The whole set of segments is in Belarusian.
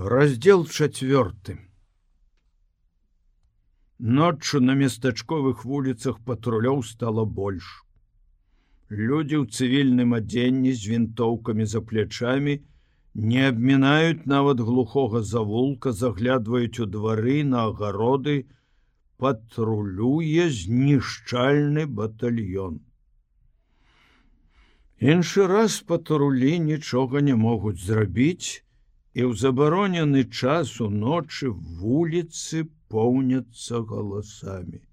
Раздзел 4. Ноччу на местачковых вуліцах патрулёў стала больш. Людзі ў цывільным адзенні з вінтоўкамі за плячамі не абмінаюць нават глухога завулка, заглядваюць у двары, на агароды, патрулюе знішчальны батальён. Іншы раз патрулі нічога не могуць зрабіць, і ў забаронены час уночы вуліцы поўняцца галасамі.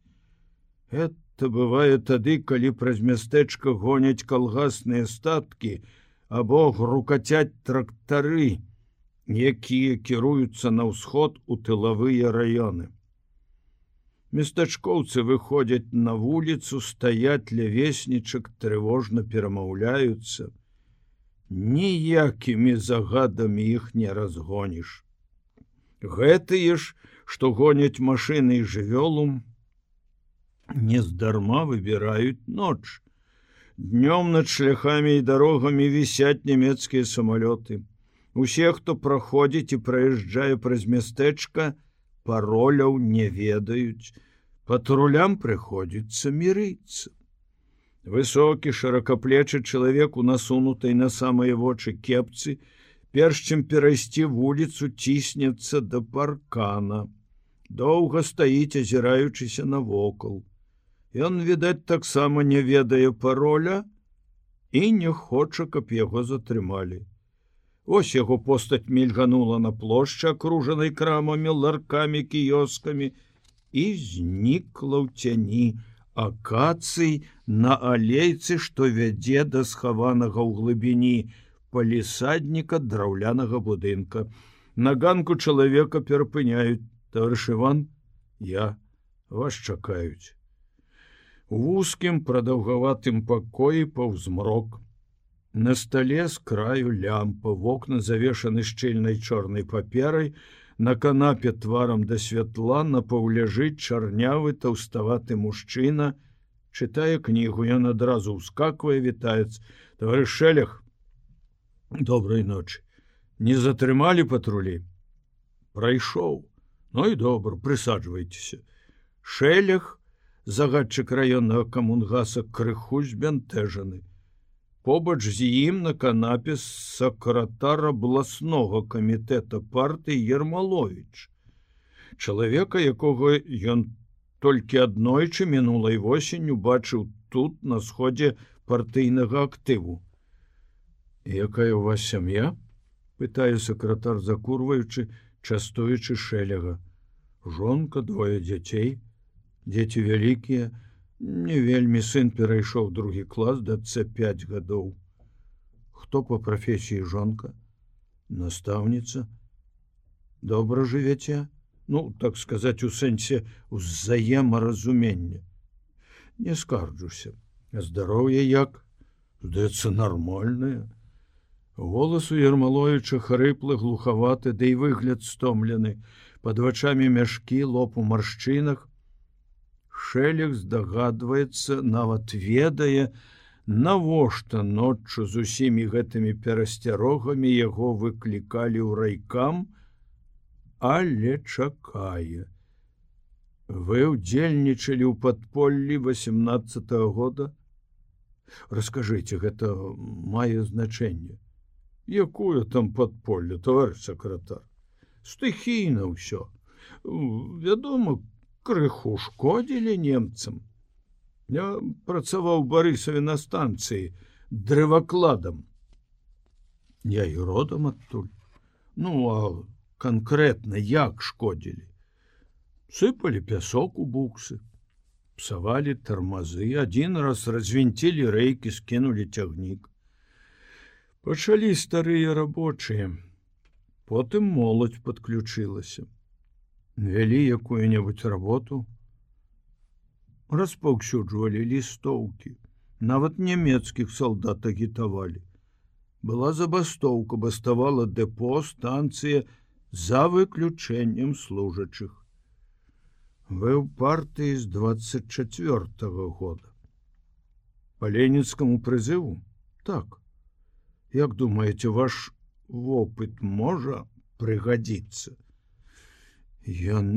Это бывае тады, калі праз мястэчка гоняць калгасныя статкі або грукацяць трактары, якія кіруюцца на ўсход у тылавыя раёны. Местачкоўцы выходзяць на вуліцу, стаяць ля веснічак, трывожна перамаўляюцца. Ніякімі загадамі іх не разгоніш. Гэтыя ж, што гоняць машыны і жывёлу, нездарма выбіраюць ноч. Днём над шляхамі і дарогамі вісяць нямецкія самалёты. Усе, хто праходзіць і праязджае праз мястэчка, пароляў не ведаюць. Патрулям прыходзіцца мірыцца. Высокі шыракаплечы чалавек у насунутай на самыя вочы кепцы, перш чым перайсці вуліцу, ціснецца да паркана. Доўга стаіць, азіраючыся навокал. Ён, відаць, таксама не ведае пароля і не хоча, каб яго затрымалі. Вось яго постаць мільганула на плошчы, акружанай крамамі, ларкамі, кіёскамі, і знікла ў цяні акацый на алейцы, што вядзе да схаванага ў глыбіні палісадніка драўлянага будынка. На ганку чалавека перапыняюць: «Таварыш Іван, вас чакаюць». У вузкім прадаўгаватым пакоі паўзмрок. На стале з краю лямпа, вокны завешаны шчыльнай чорнай паперай, на канапе тварам да святла напаўляжыць чарнявы таўставаты мужчына, чытае кнігу. Ён адразу ўскаквае, вітаецца: «Таварыш Шэлег, добрай ночы. Не затрымалі патрулі?» «Прайшоў. Ну і добра, прысаджвайцеся». Шэлег, загадчык раённага камунгаса, крыху збянтэжаны. Побач з ім на канапе сакратар абласнога камітэта партыі Ермаловіч, чалавека, якога ён толькі аднойчы мінулай восенню бачыў тут, на сходзе партыйнага актыву. «Якая ў вас сям'я?» — пытае сакратар, закурваючы, частуючы Шэлега. «Жонка, 2 дзяцей. Дзеці вялікія. Не вельмі, сын перайшоў 2 клас, дачцэ 5 гадоў. Хто па прафесіі жонка?» «Настаўніца». «Добра жывяце?» «Ну, так сказаць, у сэнсе узаемаразумення». «Не скарджуся. А здароўе як?» «Здаецца, нармальнае». Голас у Ермаловіча хрыплы, глухаваты, ды і выгляд стомлены. Пад вачамі мяшкі, лоб у маршчынах. Шэлег здагадваецца, нават ведае, навошта ноччу з усімі гэтымі перасцярогамі яго выклікалі ў райкам, але чакае. «Вы ўдзельнічалі ў падполлі 18-го года?» «Раскажыце, гэта мае значэнне». «Якое там падполле, таварыш сакратар? Стыхійна ўсё. Вядома, крыху шкодзілі немцам. Я працаваў у Барысаве на станцыі дрэвакладам». «Я і родам адтуль». «Ну, а канкрэтна як шкодзілі?» «Сыпалі пясок у буксы, псавалі тармазы, адзін раз развінцілі рэйкі, скінулі цягнік. Пачалі старыя рабочыя, потым моладзь падключылася. Вялі якую-небудзь работу, распаўсюджвалі лістоўкі, нават нямецкіх салдат агітавалі. Была забастоўка, баставала дэпо, станцыя, за выключэннем служачых». «Вы ў партыі з 24-го года. Па ленінскаму прызыву?» «Так. Як думаеце, ваш вопыт можа прыгадзіцца. Ён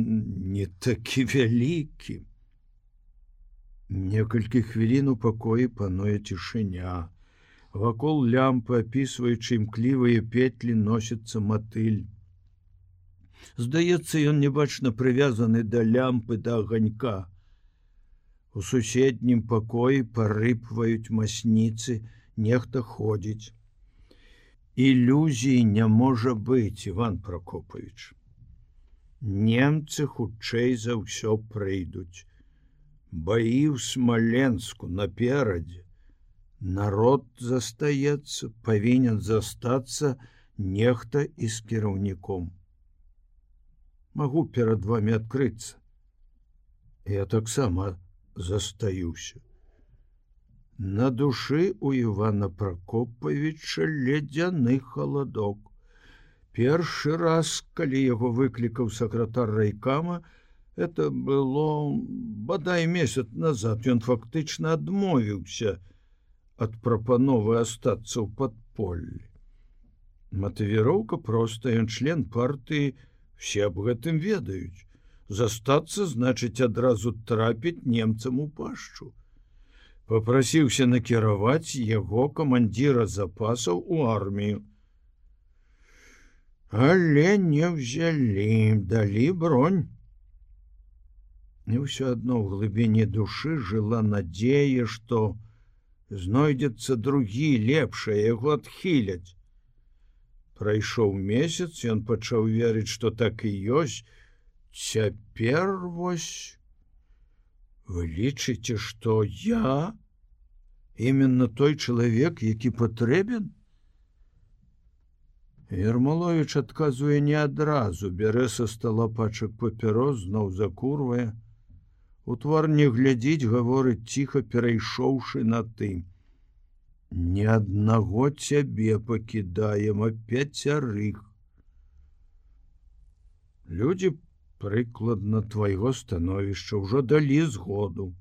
не такі вялікі. Некалькі хвілін у пакоі пануе цішыня. Вакол лямпы, апісваючы імклівыя петлі, носіцца матыль. Здаецца, ён небачна прывязаны да лямпы, да аганька. У суседнім пакоі парыпваюць масніцы, нехта ходзіць. Ілюзій не можа быць, Іван Прокопавіч. Немцы хутчэй за ўсё прыйдуць. Баі ў Смаленску наперадзе. Народ застаецца, павінен застацца нехта і з кіраўніком. Магу перад вамі адкрыцца. Я таксама застаюся. На душы у Івана Прокопавіча ледзяны халадок. Першы раз, калі яго выклікаў сакратар райкама, это было бадай месяц назад, ён фактычна адмовіўся ад прапановы астацца ў падполлі. Матывіроўка проста, ён член партыі, все аб гэтым ведаюць. Застацца значыць адразу трапіць немцам у пашчу. Папрасіўся накіраваць яго камандзіра запасаў у армію. Але не ўзялі, далі бронь. І ўсё адно ў глыбіні душы жыла надзея, што знойдзецца другі, лепшае, яго адхіляць. Прайшоў месяц, ён пачаў верыць, што так і ёсць. Цяпер вось... Вы лічыце, што я именно той чалавек, які патрэбен? Ермоловіч адказвае не адразу, бярэ са стала пачак папірос, зноў закурвае. У твар не глядзіць, гаворыць ціха, перайшоўшы на ты. Ні аднаго цябе пакідаем, а 5. Людзі прыкладна твайго становішча ўжо далі згоду.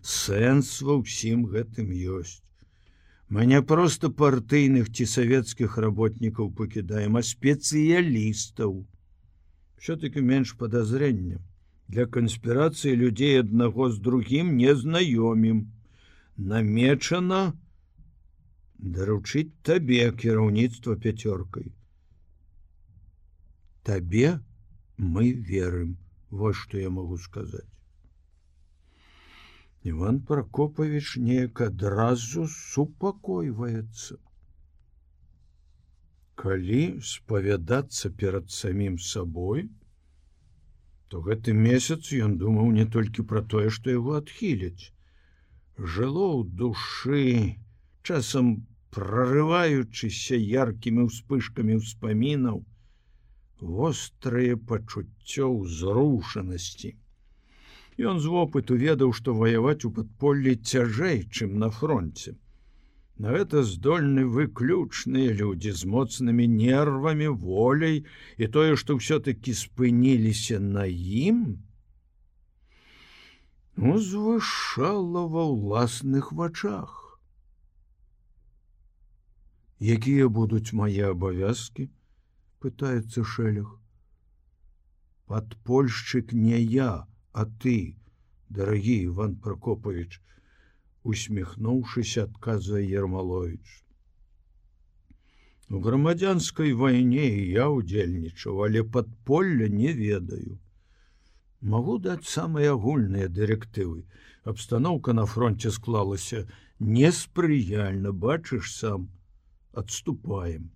Сэнс ва ўсім гэтым ёсць. Мы не проста партыйных ці савецкіх работнікаў пакідаем, а спецыялістаў. Все-таки менш падазрення. Для канспірацыі людзей аднаго з другім не знаёмім. Намечана даручыць табе кіраўніцтва 5. Табе мы верым, вот што я магу сказаць. Іван Прокопавіч неяк адразу супакойваецца. Калі спавядацца перад самім сабой, то гэты месяц ён думаў не толькі пра тое, што яго адхіляць. Жыло ў душы, часам прарываючыся яркімі ўспышкамі ўспамінаў, вострае пачуццё ўзрушанасці. Ён з вопыту ведаў, што ваяваць у падполлі цяжэй, чым на фронце. На гэта здольны выключныя людзі з моцнымі нервамі, воляй, і тое, што ўсё-такі спыніліся на ім, узвышала ва ўласных вачах. Якія будуць мае абавязкі? Пытаецца Шэлег. Падпольшчык не я, а ты, дарагі Іван Прокопавіч, усміхнуўшыся, адказвае Ермоловіч. У грамадзянскай вайне я ўдзельнічаў, але падполля не ведаю. Магу даць самыя агульныя дырэктывы. Абстаноўка на фронте склалася неспрыяльна, бачыш сам, адступаем.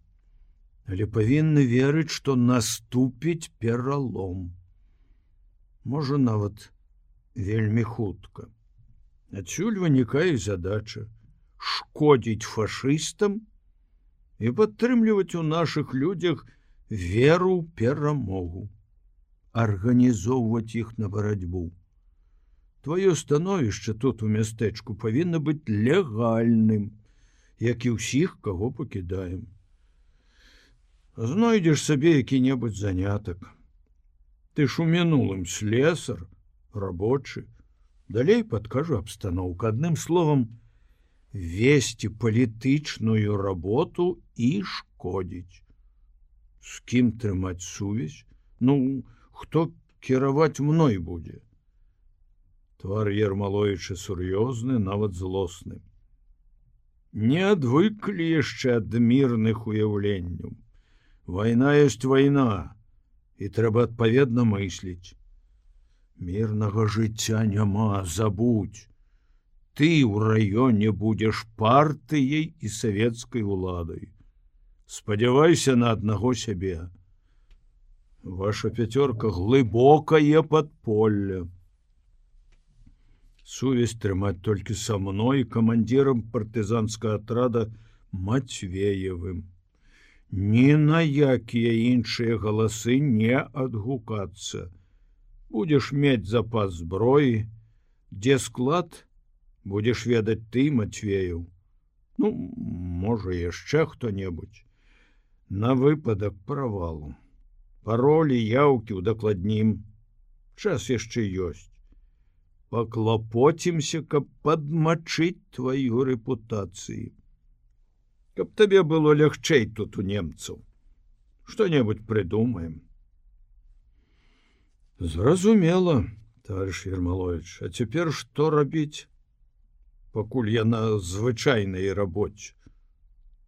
Але павінны верыць, што наступіць пералом. Можа, нават вельмі хутка. Адсюль вынікае задача шкодзіць фашыстам і падтрымліваць у нашых людзях веру ў перамогу, арганізоўваць іх на барацьбу. Тваё становішча тут у мястэчку павінна быць легальным, як і ўсіх, каго пакідаем. Знойдзеш сабе які-небудзь занятак. Ты ж у мінулым слесар, рабочы. Далей падкажу абстаноўку. Адным словам, весці палітычную работу і шкодзіць. З кім трымаць сувязь? Ну, хто кіраваць мной будзе? Твар Ермаловіча сур'ёзны, нават злосны. Не адвыклі яшчэ ад мірных уяўленняў. Вайна ёсць вайна, і трэба адпаведна мысліць. Мірнага жыцця няма, забудь. Ты ў раёне будзеш партыяй і савецкай уладай. Спадзявайся на аднаго сябе. Ваша пяцёрка глыбокае падполле. Сувязь трымаць толькі са мной, камандзірам партызанскага атрада Матвеевым. Ні на якія іншыя галасы не адгукацца. Будзеш мець запас зброі, дзе склад, будзеш ведаць ты, Матвеев. Ну, можа, яшчэ хто-небудзь. На выпадак правалу. Паролі, яўкі удакладнім. Час яшчэ ёсць. Паклапоцімся, каб падмачыць тваю рэпутацыю. Каб табе было лягчэй тут у немцаў. Што-небудзь прыдумаем. Зразумела, товарищ Ермолович. А цяпер што рабіць? Пакуль я на звычайнай рабоце.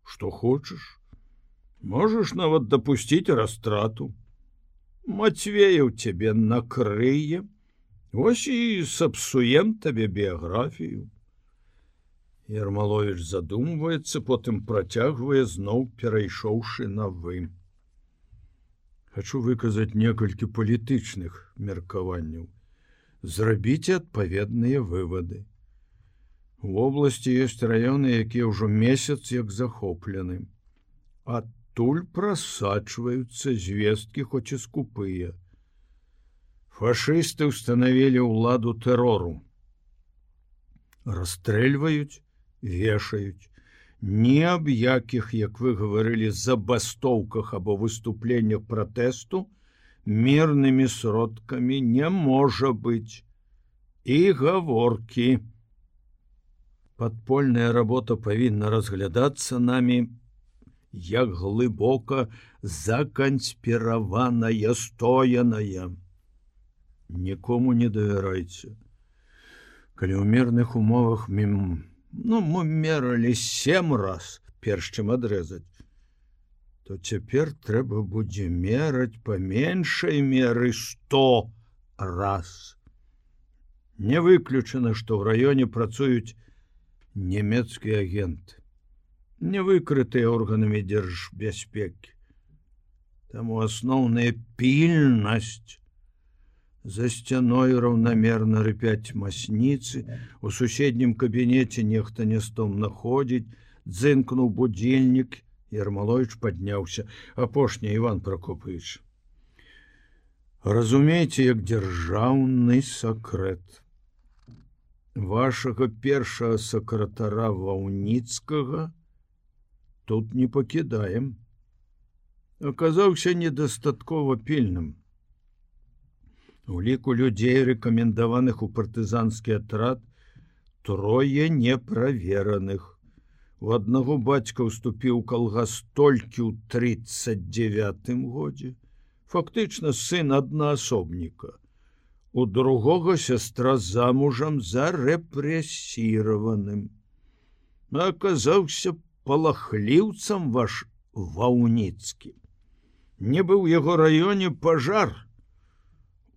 Што хочаш? Можаш нават дапусціць растрату. Матвеев цябе накрые. Вось і сапсуем табе біяграфію. Ермолович задумваецца, потым працягвае, зноў перайшоўшы на вы. Хачу выказаць некалькі палітычных меркаванняў. Зрабіце адпаведныя вывады. У вобласці ёсць раёны, якія ўжо месяц як захоплены. Адтуль прасачваюцца звесткі, хоць і скупыя. Фашысты ўстанавілі ўладу тэрору. Расстрэльваюць, вешаюць. Ні аб якіх, як вы гаварылі, забастоўках або выступленнях пратэсту мірнымі сродкамі не можа быць. І гаворкі. Падпольная работа павінна разглядацца намі як глыбока заканспіраваная, стояная. Нікому не давярайце. Калі ў мірных умовах мы мералі 7 раз, перш чым адрэзаць, то цяпер трэба будзе мераць па меншай меры 100 раз. Не выключана, што ў раёне працуюць нямецкія агенты, не выкрытыя органамі дзяржбяспекі. Таму асноўная пільнасць. За сцяной раўнамерна рыпяць масніцы, у суседнім кабінеце нехта нястомна ходзіць, дзынкнуў будзільнік, Ермолович падняўся. Апошні, Іван Прокопавіч. Разумееце, як дзяржаўны сакрэт. Вашага першага сакратара Ваўніцкага тут не пакідаем. Аказаўся недастаткова пільным. У ліку людзей, рэкамендаваных у партызанскі атрад, 3 неправераных. У аднаго бацька ўступіў калгас толькі ў 39 годзе. Фактычна сын аднаасобніка. У другога сястра замужам за рэпрэсіраваным. Аказаўся палахліўцам ваш Ваўніцкі. Не быў у яго раёне пажар.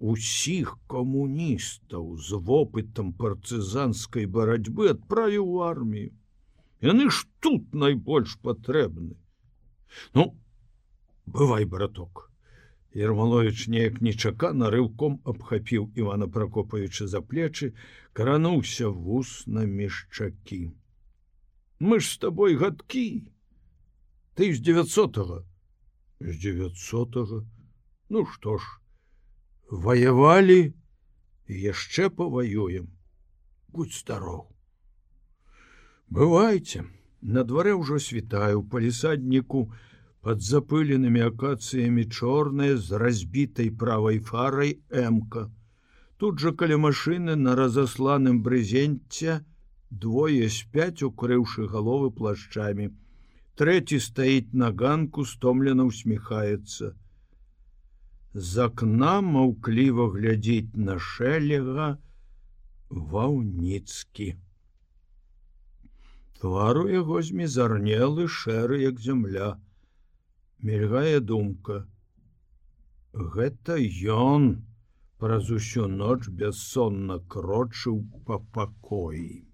Усіх камуністаў з вопытам партызанскай барацьбы адправіў у армію. Яны ж тут найбольш патрэбны. Ну, бывай, браток. Ермолович неяк нечакана рыўком абхапіў Івана Прокопавіча за плечы, крануўся вус на мешчакі. Мы ж з табой гадкі. Ты з 900-го. З 900-го? Ну што ж, ваявалі, яшчэ паваюем. Будь здаров. Бывайце, на дварэ ўжо світае, у палісадніку пад запыленымі акацыямі чорная з разбітай правай фарай эмка. Тут жа каля машыны на разасланым брызенце 2 спяць, укрыўшы галовы плашчамі. Трэці стаіць на ганку, стомлена усміхаецца. З акна маўкліва глядзіць на Шэлега Ваўніцкі. Твар у яго змізарнелы, шэры, як зямля. Мільгае думка. Гэта ён праз усю ноч бяссонна крочыў па пакоі.